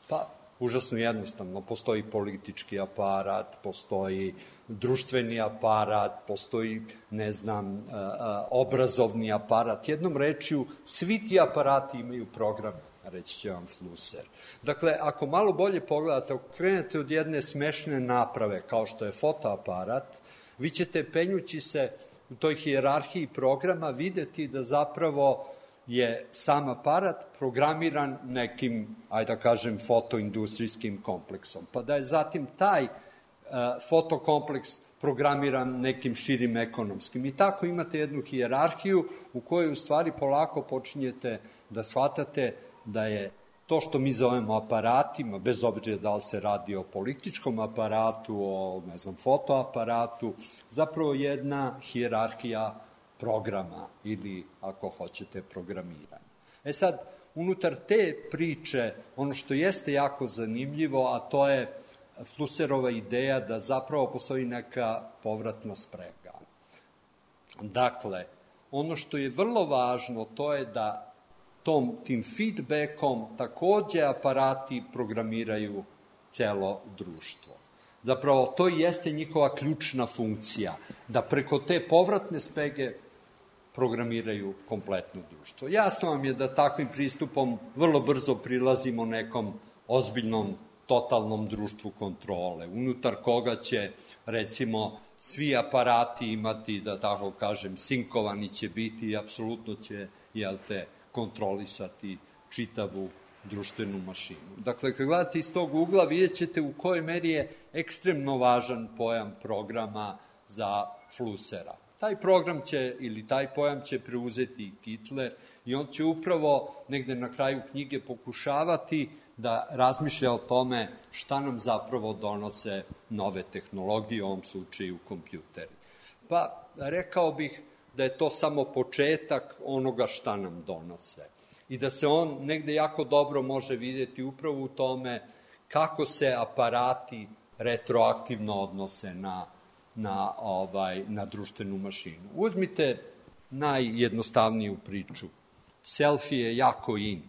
Pa, užasno jednostavno, postoji politički aparat, postoji društveni aparat, postoji, ne znam, obrazovni aparat. Jednom rečju, svi ti aparati imaju program, reći će vam Flusser. Dakle, ako malo bolje pogledate, ako krenete od jedne smešne naprave, kao što je fotoaparat, vi ćete, penjući se u toj hijerarhiji programa, videti da zapravo je sam aparat programiran nekim, ajde da kažem, fotoindustrijskim kompleksom. Pa da je zatim taj uh, fotokompleks programiran nekim širim ekonomskim. I tako imate jednu hijerarhiju u kojoj u stvari polako počinjete da shvatate da je to što mi zovemo aparatima, bez obzira da li se radi o političkom aparatu, o, ne znam, fotoaparatu, zapravo jedna hijerarhija programa ili, ako hoćete, programiranja. E sad, unutar te priče, ono što jeste jako zanimljivo, a to je Flusserova ideja da zapravo postoji neka povratna sprega. Dakle, ono što je vrlo važno, to je da tom, tim feedbackom takođe aparati programiraju celo društvo. Zapravo, to jeste njihova ključna funkcija, da preko te povratne sprege programiraju kompletno društvo. Jasno vam je da takvim pristupom vrlo brzo prilazimo nekom ozbiljnom, totalnom društvu kontrole, unutar koga će, recimo, svi aparati imati, da tako kažem, sinkovani će biti i apsolutno će, jel te, kontrolisati čitavu društvenu mašinu. Dakle, kad gledate iz tog ugla, vidjet ćete u kojoj meri je ekstremno važan pojam programa za Flussera. Taj program će, ili taj pojam će preuzeti i Kittler i on će upravo negde na kraju knjige pokušavati da razmišlja o tome šta nam zapravo donose nove tehnologije, u ovom slučaju kompjuteri. Pa, rekao bih da je to samo početak onoga šta nam donose i da se on negde jako dobro može vidjeti upravo u tome kako se aparati retroaktivno odnose na, na, ovaj, na društvenu mašinu. Uzmite najjednostavniju priču. Selfie je jako in.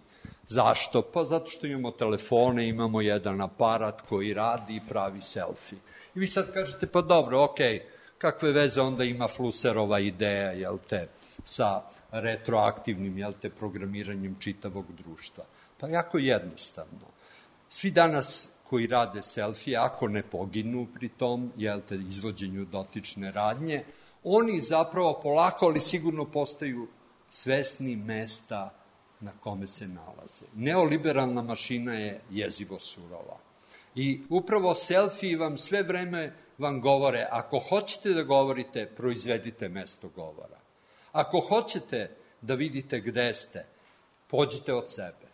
Zašto? Pa zato što imamo telefone, imamo jedan aparat koji radi i pravi selfie. I vi sad kažete, pa dobro, okej, kakve veze onda ima Flusserova ideja, jel te, sa retroaktivnim, jel te, programiranjem čitavog društva? Pa jako jednostavno. Svi danas koji rade selfie, ako ne poginu pri tom, jel te, izvođenju dotične radnje, oni zapravo polako, ali sigurno postaju svesni mesta na kome se nalaze. Neoliberalna mašina je jezivo surova. I upravo selfie vam sve vreme vam govore, ako hoćete da govorite, proizvedite mesto govora. Ako hoćete da vidite gde ste, pođite od sebe.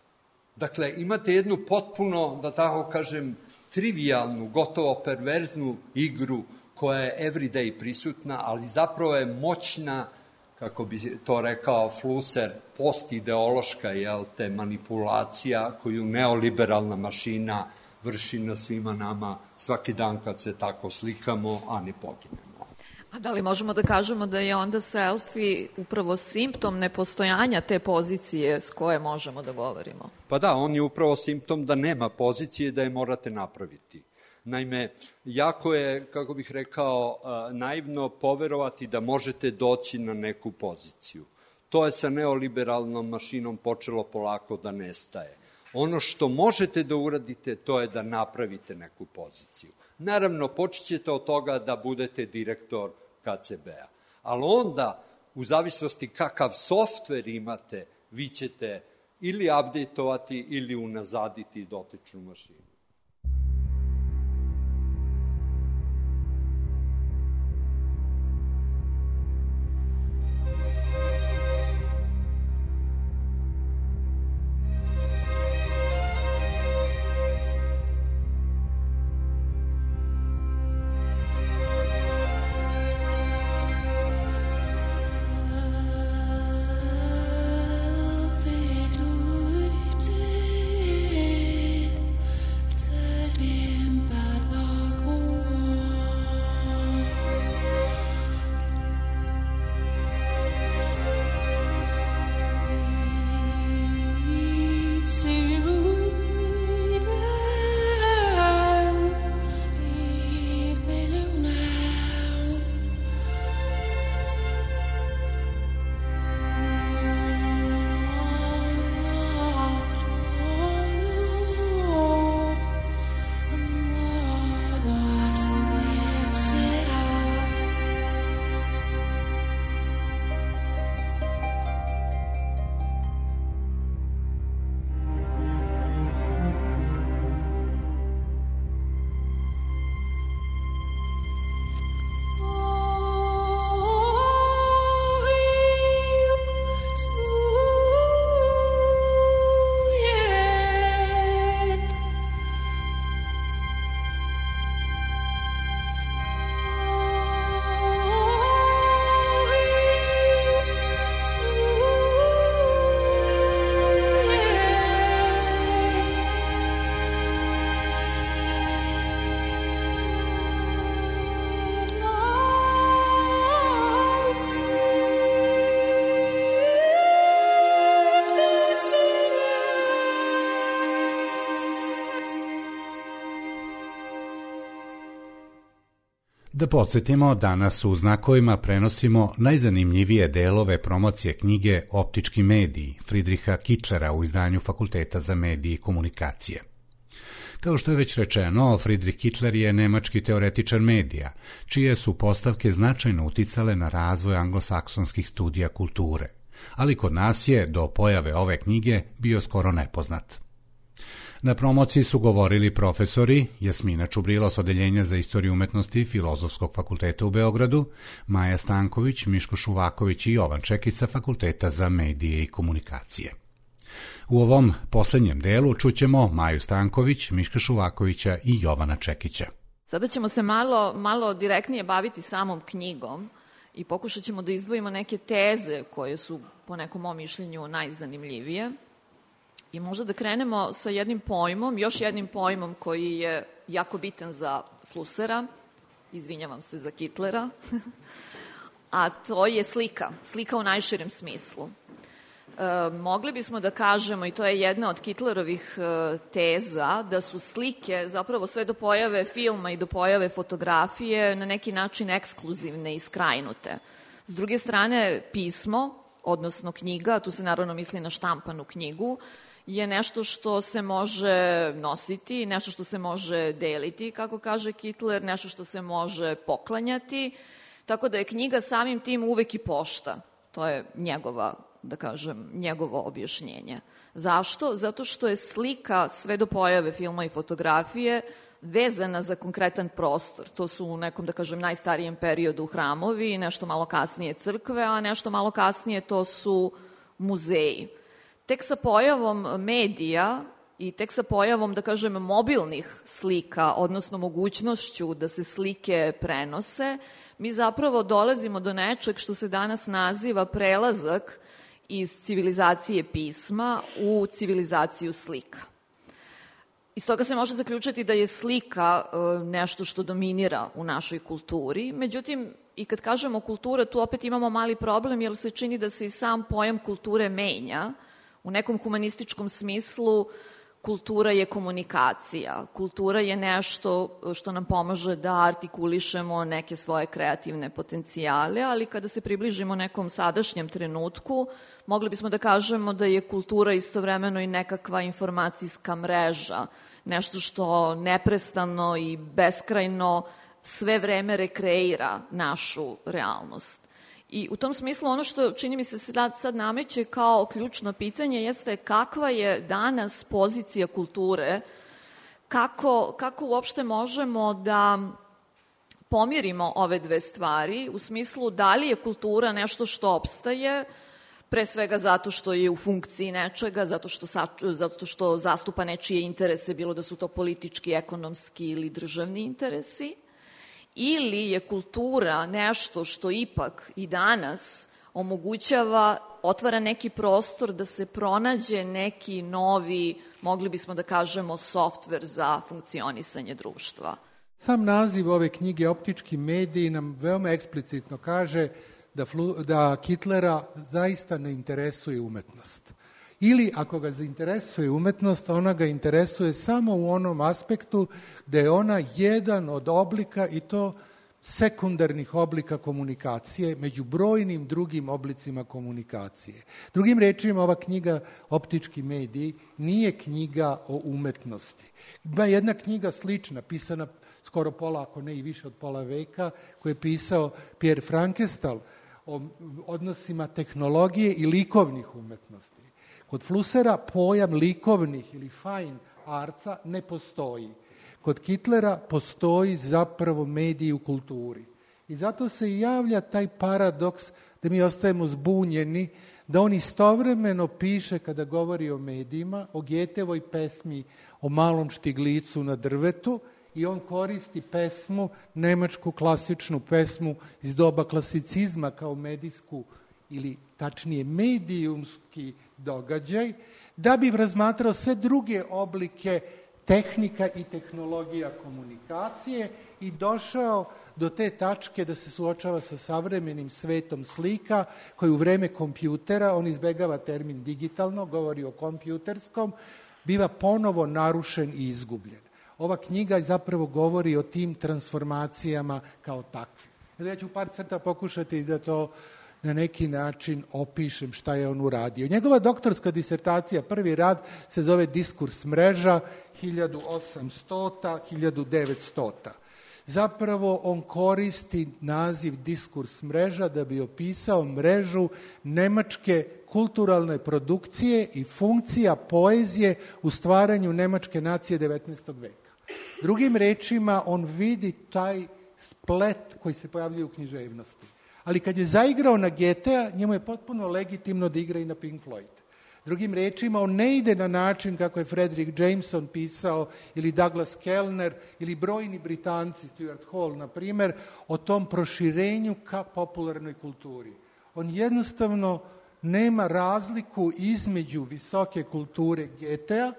Dakle, imate jednu potpuno, da tako kažem, trivialnu, gotovo perverznu igru koja je everyday prisutna, ali zapravo je moćna, kako bi to rekao Flusser, postideološka, jel te, manipulacija koju neoliberalna mašina vrši na svima nama svaki dan kad se tako slikamo, a ne poginemo. A da li možemo da kažemo da je onda selfie upravo simptom nepostojanja te pozicije s koje možemo da govorimo? Pa da, on je upravo simptom da nema pozicije, da je morate napraviti. Naime, jako je, kako bih rekao, naivno poverovati da možete doći na neku poziciju. To je sa neoliberalnom mašinom počelo polako da nestaje. Ono što možete da uradite, to je da napravite neku poziciju. Naravno, počet ćete od toga da budete direktor K C B-a. Ali onda, u zavisnosti kakav softver imate, vi ćete ili updateovati ili unazaditi dotičnu mašinu. Da podsjetimo, danas u Znakovima prenosimo najzanimljivije delove promocije knjige Optički mediji Friedricha Kittlera u izdanju Fakulteta za medije i komunikacije. Kao što je već rečeno, Friedrich Kittler je nemački teoretičar medija, čije su postavke značajno uticale na razvoj anglosaksonskih studija kulture, ali kod nas je do pojave ove knjige bio skoro nepoznat. Na promociji su govorili profesori Jasmina Čubrilo s Odeljenja za istoriju umetnosti Filozofskog fakulteta u Beogradu, Maja Stanković, Miško Šuvaković i Jovan Čekić sa Fakulteta za medije i komunikacije. U ovom poslednjem delu čućemo Maju Stanković, Miška Šuvakovića i Jovana Čekića. Sada ćemo se malo, malo direktnije baviti samom knjigom i pokušat ćemo da izdvojimo neke teze koje su, po nekom mom mišljenju, najzanimljivije. I možda da krenemo sa jednim pojmom, još jednim pojmom koji je jako bitan za Flussera, izvinjavam se za Kittlera, a to je slika, slika u najširem smislu. E, mogli bismo da kažemo, i to je jedna od Kittlerovih e, teza, da su slike zapravo sve do pojave filma i do pojave fotografije na neki način ekskluzivne i skrajnute. S druge strane, pismo, odnosno knjiga, tu se naravno misli na štampanu knjigu, je nešto što se može nositi, nešto što se može deliti, kako kaže Kittler, nešto što se može poklanjati, tako da je knjiga samim tim uvek i pošta. To je njegova, da kažem, njegovo objašnjenje. Zašto? Zato što je slika sve do pojave filma i fotografije vezana za konkretan prostor. To su u nekom, da kažem, najstarijem periodu hramovi, nešto malo kasnije crkve, a nešto malo kasnije to su muzeji. Tek sa pojavom medija i tek sa pojavom, da kažem, mobilnih slika, odnosno mogućnošću da se slike prenose, mi zapravo dolazimo do nečeg što se danas naziva prelazak iz civilizacije pisma u civilizaciju slika. Iz toga se može zaključiti da je slika nešto što dominira u našoj kulturi, međutim, i kad kažemo kultura, tu opet imamo mali problem, jer se čini da se i sam pojam kulture menja. U nekom humanističkom smislu kultura je komunikacija. Kultura je nešto što nam pomaže da artikulišemo neke svoje kreativne potencijale, ali kada se približimo nekom sadašnjem trenutku, mogli bismo da kažemo da je kultura istovremeno i nekakva informacijska mreža, nešto što neprestano i beskrajno sve vreme rekreira našu realnost. I u tom smislu ono što čini mi se sad, sad nameće kao ključno pitanje jeste kakva je danas pozicija kulture, kako, kako uopšte možemo da pomirimo ove dve stvari, u smislu da li je kultura nešto što opstaje, pre svega zato što je u funkciji nečega, zato što, zato što zastupa nečije interese, bilo da su to politički, ekonomski ili državni interesi, ili je kultura nešto što ipak i danas omogućava, otvara neki prostor da se pronađe neki novi, mogli bismo da kažemo, softver za funkcionisanje društva. Sam naziv ove knjige Optički mediji nam veoma eksplicitno kaže da, Flu, da Kittlera zaista ne interesuje umetnost. Ili ako ga zainteresuje umetnost, ona ga interesuje samo u onom aspektu da je ona jedan od oblika, i to sekundarnih oblika komunikacije, među brojnim drugim oblicima komunikacije. Drugim rečima, ova knjiga Optički mediji nije knjiga o umetnosti. Ima jedna knjiga slična, pisana skoro pola, ako ne i više od pola veka, koju je pisao Pierre Frankestal o odnosima tehnologije i likovnih umetnosti. Kod Flussera pojam likovnih ili fine artsa ne postoji. Kod Kittlera postoji zapravo mediji u kulturi. I zato se i javlja taj paradoks da mi ostajemo zbunjeni, da on istovremeno piše, kada govori o medijima, o Goethevoj pesmi o malom štiglicu na drvetu, i on koristi pesmu, nemačku klasičnu pesmu iz doba klasicizma kao medijsku ili tačnije medijumski događaj, da bi razmatrao sve druge oblike tehnika i tehnologija komunikacije i došao do te tačke da se suočava sa savremenim svetom slika koji u vreme kompjutera, on izbegava termin digitalno, govori o kompjuterskom, biva ponovo narušen i izgubljen. Ova knjiga zapravo govori o tim transformacijama kao takvim. Ja ću par crta pokušati da to na neki način opišem šta je on uradio. Njegova doktorska disertacija, prvi rad, se zove Diskurs mreža hiljadu osamsto do hiljadu devetsto. Zapravo on koristi naziv diskurs mreža da bi opisao mrežu nemačke kulturalne produkcije i funkcija poezije u stvaranju nemačke nacije devetnaestog veka. Drugim rečima, on vidi taj splet koji se pojavljuje u književnosti. Ali kad je zaigrao na Goethea, njemu je potpuno legitimno da igra i na Pink Floyd. Drugim rečima, on ne ide na način kako je Frederick Jameson pisao ili Douglas Kellner ili brojni Britanci, Stuart Hall, na primjer, o tom proširenju ka popularnoj kulturi. On jednostavno nema razliku između visoke kulture Goethea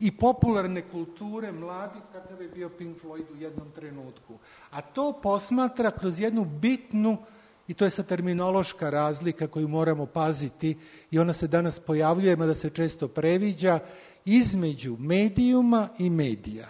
i popularne kulture mladih kakav je bio Pink Floyd u jednom trenutku. A to posmatra kroz jednu bitnu, i to je sad terminološka razlika koju moramo paziti i ona se danas pojavljuje, mada se često previđa, između medijuma i medija.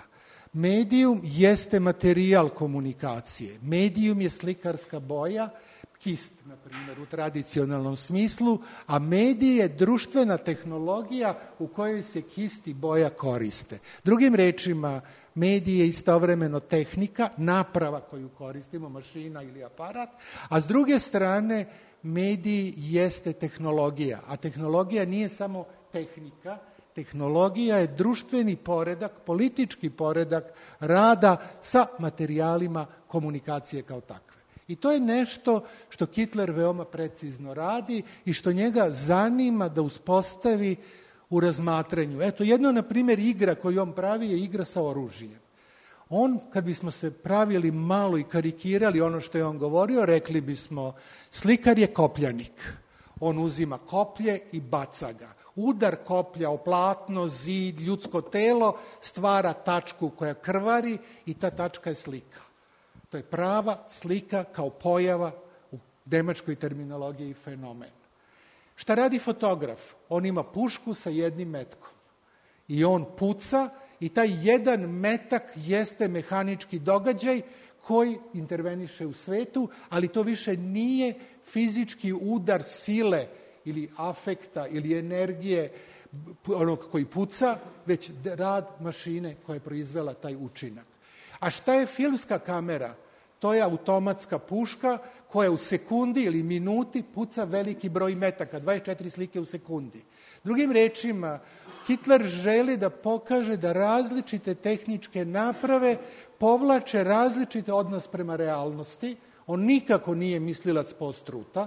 Medijum jeste materijal komunikacije. Medijum je slikarska boja, kist, na primjer, u tradicionalnom smislu, a medij je društvena tehnologija u kojoj se kist i boja koriste. Drugim rečima, medij je istovremeno tehnika, naprava koju koristimo, mašina ili aparat, a s druge strane, medij jeste tehnologija, a tehnologija nije samo tehnika, tehnologija je društveni poredak, politički poredak rada sa materijalima komunikacije kao takve. I to je nešto što Kittler veoma precizno radi i što njega zanima da uspostavi u razmatranju. Eto, jedno, na primjer, igra koju on pravi je igra sa oružjem. On, kad bismo se pravili malo i karikirali ono što je on govorio, rekli bismo, slikar je kopljanik. On uzima koplje i baca ga. Udar koplja o platno, zid, ljudsko telo stvara tačku koja krvari i ta tačka je slika. To je prava slika kao pojava u nemačkoj terminologiji fenomen. Šta radi fotograf? On ima pušku sa jednim metkom i on puca i taj jedan metak jeste mehanički događaj koji interveniše u svetu, ali to više nije fizički udar sile ili afekta ili energije onog koji puca, već rad mašine koja je proizvela taj učinak. A šta je filmska kamera? To je automatska puška koja u sekundi ili minuti puca veliki broj metaka, dvadeset četiri slike u sekundi. Drugim rečima, Kittler želi da pokaže da različite tehničke naprave povlače različite odnos prema realnosti. On nikako nije mislilac post-truta.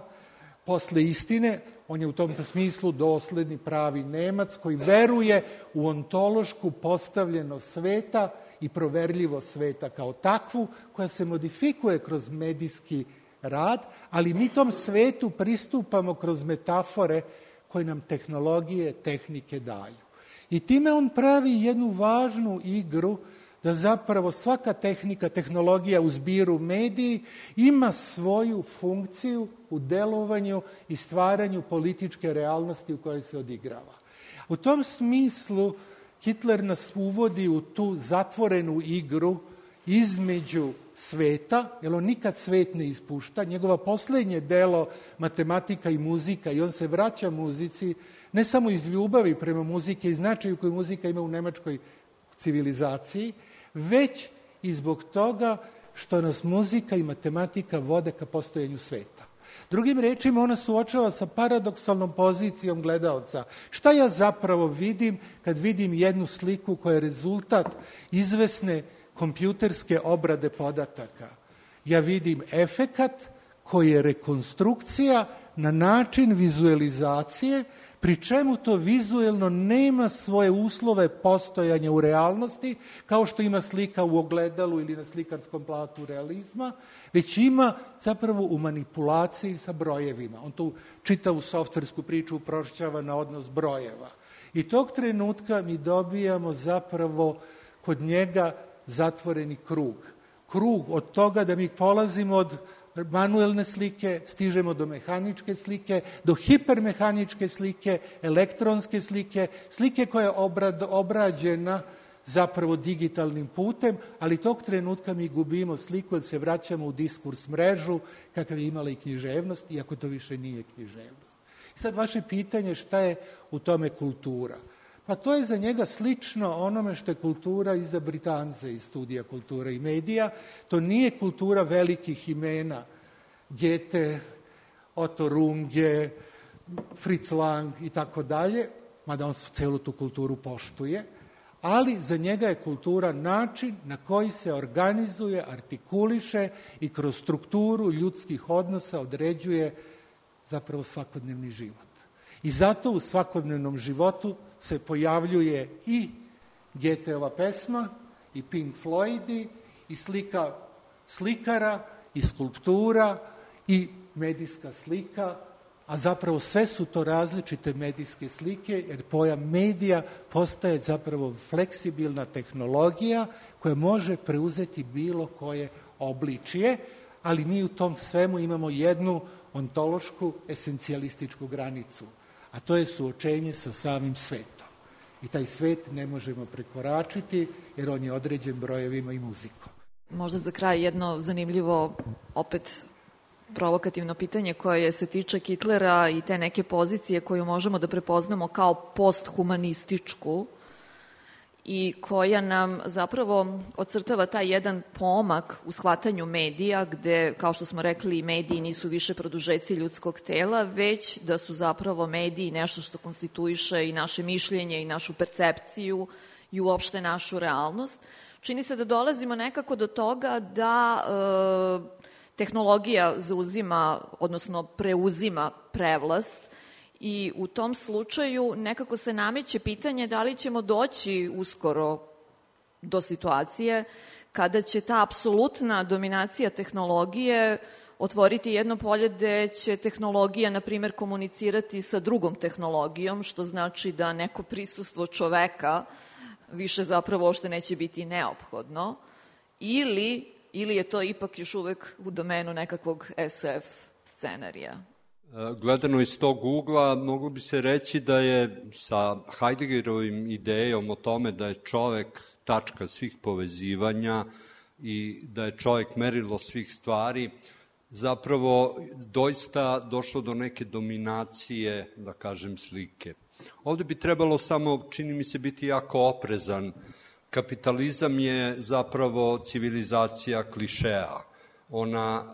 Posle istine, on je u tom smislu dosledni pravi Nemac koji veruje u ontološku postavljenost sveta i proverljivo sveta kao takvu, koja se modifikuje kroz medijski rad, ali mi tom svetu pristupamo kroz metafore koje nam tehnologije, tehnike daju. I time on pravi jednu važnu igru da zapravo svaka tehnika, tehnologija u zbiru mediji ima svoju funkciju u delovanju i stvaranju političke realnosti u kojoj se odigrava. U tom smislu Kittler nas uvodi u tu zatvorenu igru između sveta, jer on nikad svet ne ispušta. Njegova posljednje delo, Matematika i muzika, i on se vraća muzici, ne samo iz ljubavi prema muzike i značaju koju muzika ima u nemačkoj civilizaciji, već i zbog toga što nas muzika i matematika vode ka postojanju sveta. Drugim rečima, ona suočava sa paradoksalnom pozicijom gledaoca. Šta ja zapravo vidim kad vidim jednu sliku koja je rezultat izvesne kompjuterske obrade podataka? Ja vidim efekat koji je rekonstrukcija na način vizualizacije, pri čemu to vizuelno nema svoje uslove postojanja u realnosti, kao što ima slika u ogledalu ili na slikarskom platu realizma, već ima zapravo u manipulaciji sa brojevima. On tu čitavu softversku priču uprošćava na odnos brojeva. I tog trenutka mi dobijamo zapravo kod njega zatvoreni krug. Krug od toga da mi polazimo od manuelne slike, stižemo do mehaničke slike, do hipermehaničke slike, elektronske slike, slike koja je obrad, obrađena zapravo digitalnim putem, ali tog trenutka mi gubimo sliku jer se vraćamo u diskurs mrežu kakav je imala i književnost, iako to više nije književnost. I sad vaše pitanje šta je u tome kultura? Pa to je za njega slično onome što je kultura i za Britance iz studija kultura i medija. To nije kultura velikih imena, Goethe, Otto Runge, Fritz Lang i tako dalje, mada on celu tu kulturu poštuje, ali za njega je kultura način na koji se organizuje, artikuliše i kroz strukturu ljudskih odnosa određuje zapravo svakodnevni život. I zato u svakodnevnom životu se pojavljuje i Goetheova pesma, i Pink Floydi, i slika slikara, i skulptura, i medijska slika, a zapravo sve su to različite medijske slike, jer pojam medija postaje zapravo fleksibilna tehnologija koja može preuzeti bilo koje obličije, ali mi u tom svemu imamo jednu ontološku, esencijalističku granicu, a to je suočenje sa samim svetom. I taj svet ne možemo prekoračiti, jer on je određen brojevima i muzikom. Možda za kraj jedno zanimljivo, opet provokativno pitanje koje se tiče Kitlera i te neke pozicije koju možemo da prepoznamo kao posthumanističku i koja nam zapravo ocrtava taj jedan pomak u shvatanju medija gde, kao što smo rekli, mediji nisu više produžeci ljudskog tela, već da su zapravo mediji nešto što konstituiše i naše mišljenje i našu percepciju i uopšte našu realnost. Čini se da dolazimo nekako do toga da e, tehnologija zauzima, odnosno preuzima prevlast i u tom slučaju nekako se nameće pitanje da li ćemo doći uskoro do situacije kada će ta apsolutna dominacija tehnologije otvoriti jedno polje gde će tehnologija, na primer, komunicirati sa drugom tehnologijom, što znači da neko prisustvo čoveka više zapravo uopšte neće biti neophodno, ili, ili je to ipak još uvek u domenu nekakvog es ef scenarija. Gledano iz tog ugla, moglo bi se reći da je sa Heideggerovim idejom o tome da je čovek tačka svih povezivanja i da je čovek merilo svih stvari, zapravo doista došlo do neke dominacije, da kažem, slike. Ovde bi trebalo samo, čini mi se, biti jako oprezan. Kapitalizam je zapravo civilizacija klišeja. Ona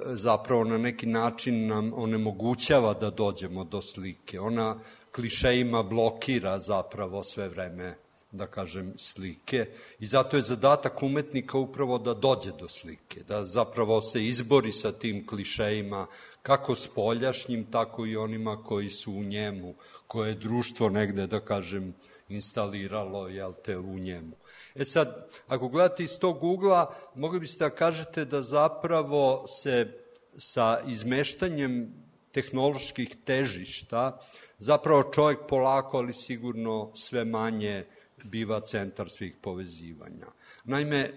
zapravo na neki način nam onemogućava da dođemo do slike. Ona klišejima blokira zapravo sve vreme, da kažem, slike. I zato je zadatak umetnika upravo da dođe do slike, da zapravo se izbori sa tim klišejima, kako spoljašnjim, tako i onima koji su u njemu, koje je društvo negde, da kažem, instaliralo, jel te, u njemu. E sad, ako gledate iz tog ugla, mogli biste da kažete da zapravo se sa izmeštanjem tehnoloških težišta, zapravo čovjek polako, ali sigurno sve manje biva centar svih povezivanja. Naime,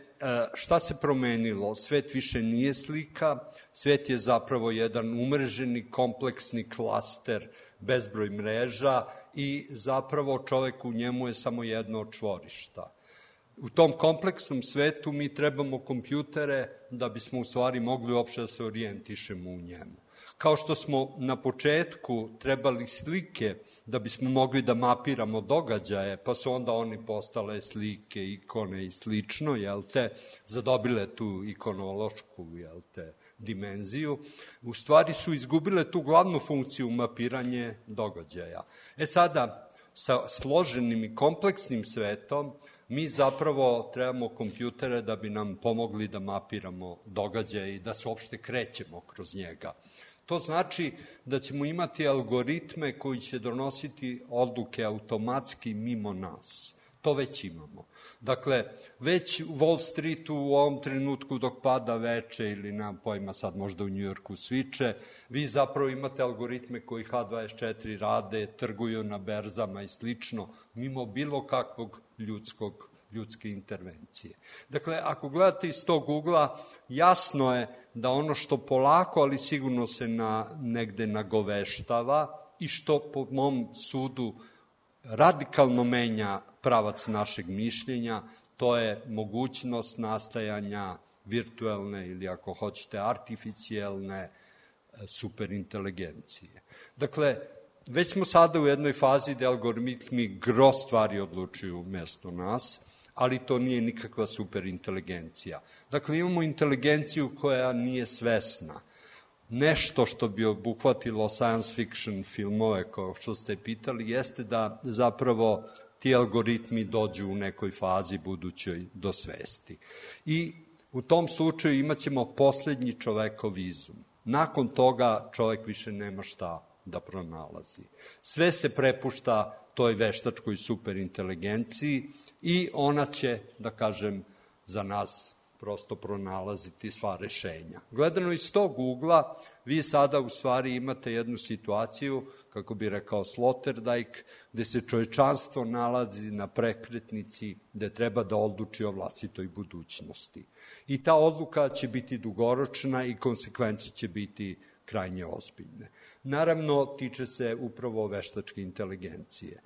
šta se promenilo? Svet više nije slika, svet je zapravo jedan umreženi, kompleksni klaster, bezbroj mreža i zapravo čovek u njemu je samo jedno od čvorišta. U tom kompleksnom svetu mi trebamo kompjutere da bismo u stvari mogli uopšte da se orijentišemo u njemu. Kao što smo na početku trebali slike da bismo mogli da mapiramo događaje, pa su onda oni postale slike, ikone i slično, jel te, zadobile tu ikonološku, jel te, dimenziju, u stvari su izgubile tu glavnu funkciju mapiranje događaja. E sada, sa složenim i kompleksnim svetom, mi zapravo trebamo kompjutere da bi nam pomogli da mapiramo događaje i da se uopšte krećemo kroz njega. To znači da ćemo imati algoritme koji će donositi odluke automatski mimo nas. To već imamo. Dakle, već u Wall Streetu u ovom trenutku dok pada veče ili nemam pojma sad možda u Njujorku sviče, vi zapravo imate algoritme koji ha dvadeset četiri rade, trguju na berzama i slično, mimo bilo kakvog ljudskog ljudske intervencije. Dakle, ako gledate iz tog ugla, jasno je da ono što polako, ali sigurno se na, negde nagoveštava i što po mom sudu radikalno menja pravac našeg mišljenja, to je mogućnost nastajanja virtualne ili ako hoćete artificijelne superinteligencije. Dakle, već smo sada u jednoj fazi gde algoritmi gro stvari odlučuju umesto nas, ali to nije nikakva superinteligencija. Dakle, imamo inteligenciju koja nije svesna. Nešto što bi obuhvatilo science fiction filmove, kao što ste pitali, jeste da zapravo ti algoritmi dođu u nekoj fazi budućoj do svesti. I u tom slučaju imat ćemo poslednji čovekov izum. Nakon toga čovek više nema šta da pronalazi. Sve se prepušta toj veštačkoj superinteligenciji i ona će, da kažem, za nas prosto pronalaziti sva rešenja. Gledano iz tog ugla, vi sada u stvari imate jednu situaciju, kako bi rekao Sloterdijk, gde se čovečanstvo nalazi na prekretnici gde treba da odluči o vlastitoj budućnosti. I ta odluka će biti dugoročna i konsekvence će biti krajnje ozbiljne. Naravno, tiče se upravo veštačke inteligencije.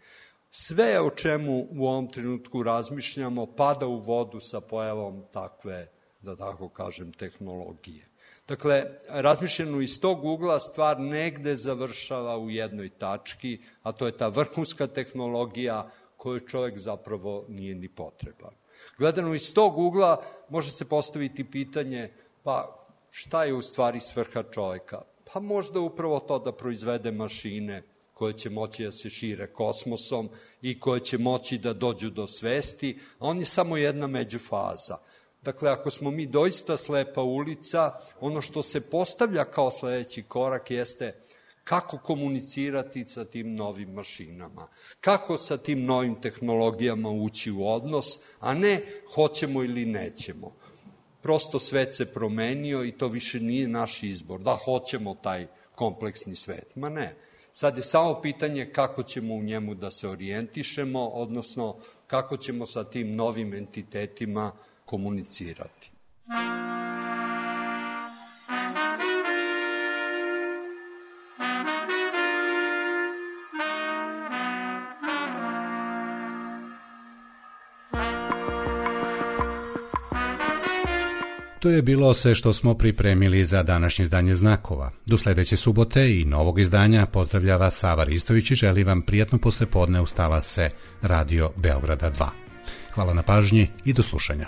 Sve o čemu u ovom trenutku razmišljamo pada u vodu sa pojavom takve, da tako kažem, tehnologije. Dakle, razmišljeno iz tog ugla stvar negde završava u jednoj tački, a to je ta vrhunska tehnologija koju čovjek zapravo nije ni potreban. Gledano iz tog ugla može se postaviti pitanje, pa šta je u stvari svrha čovjeka? Pa možda upravo to da proizvede mašine koje će moći da se šire kosmosom i koje će moći da dođu do svesti, a on je samo jedna međufaza. Dakle, ako smo mi doista slepa ulica, ono što se postavlja kao sledeći korak jeste kako komunicirati sa tim novim mašinama, kako sa tim novim tehnologijama ući u odnos, a ne hoćemo ili nećemo. Prosto svet se promenio i to više nije naš izbor, da hoćemo taj kompleksni svet, ma ne. Sad je samo pitanje kako ćemo u njemu da se orijentišemo, odnosno kako ćemo sa tim novim entitetima komunicirati. To je bilo sve što smo pripremili za današnje izdanje Znakova. Do sledeće subote i novog izdanja pozdravlja vas Sava Ristović i želi vam prijatno poslepodne uz talase Radio Beograda dva. Hvala na pažnji i do slušanja.